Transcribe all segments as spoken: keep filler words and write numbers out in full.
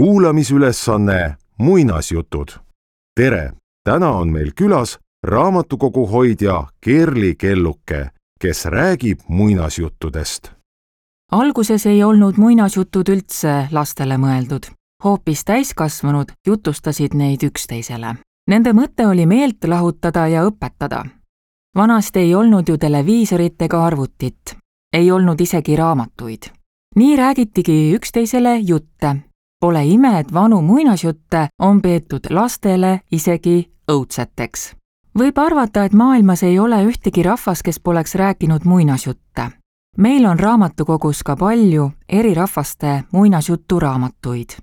kuulamisülesanne muinasjutud. Tere! Täna on meil külas raamatukogu hoidja Kerli Kelluke, kes räägib muinasjuttudest. Alguses ei olnud muinasjutud üldse lastele mõeldud. Hoopis täiskasvanud jutustasid neid üksteisele. Nende mõte oli meelt lahutada ja õpetada. Vanasti ei olnud ju televiisorit ega arvutit. Ei olnud isegi raamatuid. Nii räägitigi üksteisele jutte. Pole ime, et vanu muinasjutte on peetud lastele isegi õudseteks. Võib arvata, et maailmas ei ole ühtegi rahvas, kes poleks rääkinud muinasjutte. Meil on raamatukogus ka palju eri rahvaste muinasjuturaamatuid.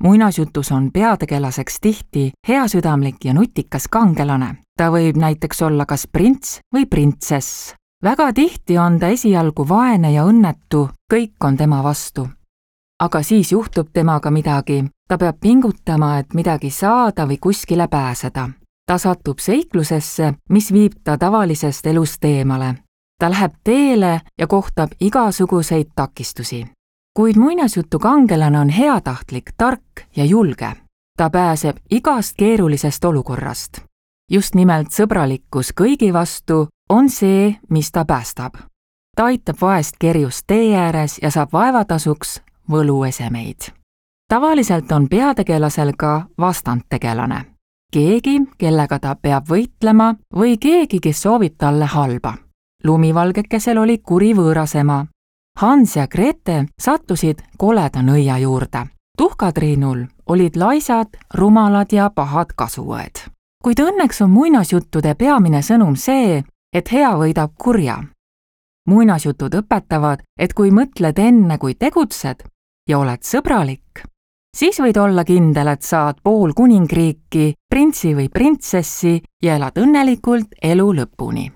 Muinasjutus on peategelaseks tihti heasüdamlik ja nutikas kangelane. Ta võib näiteks olla kas prints või printsess. Väga tihti on ta esialgu vaene ja õnnetu, kõik on tema vastu. Aga siis juhtub temaga midagi. Ta peab pingutama, et midagi saada või kuskile pääseda. Ta satub seiklusesse, mis viib ta tavalisest elust eemale. Ta läheb teele ja kohtab igasuguseid takistusi. Kuid muinasjutu kangelane on heatahtlik, tark ja julge. Ta pääseb igast keerulisest olukorrast. Just nimelt sõbralikkus kõigi vastu on see, mis ta päästab. Ta aitab vaest kerjust tee ääres ja saab vaevatasuks võluesemeid. Tavaliselt on peategelasel ka vastandtegelane. Keegi, kellega ta peab võitlema või keegi, kes soovib talle halba. Lumivalgekesel oli kuri võõrasema. Hans ja Grete sattusid koleda nõia juurde. Tuhkatriinul olid laisad, rumalad ja pahad kasuõed. Kuid õnneks on muinasjuttude peamine sõnum see, et hea võidab kurja. Muinasjutud õpetavad, et kui mõtled enne, kui tegutsed ja oled sõbralik, siis võid olla kindel, et saad pool kuningriiki, printsi või printsessi ja elad õnnelikult elu lõpuni.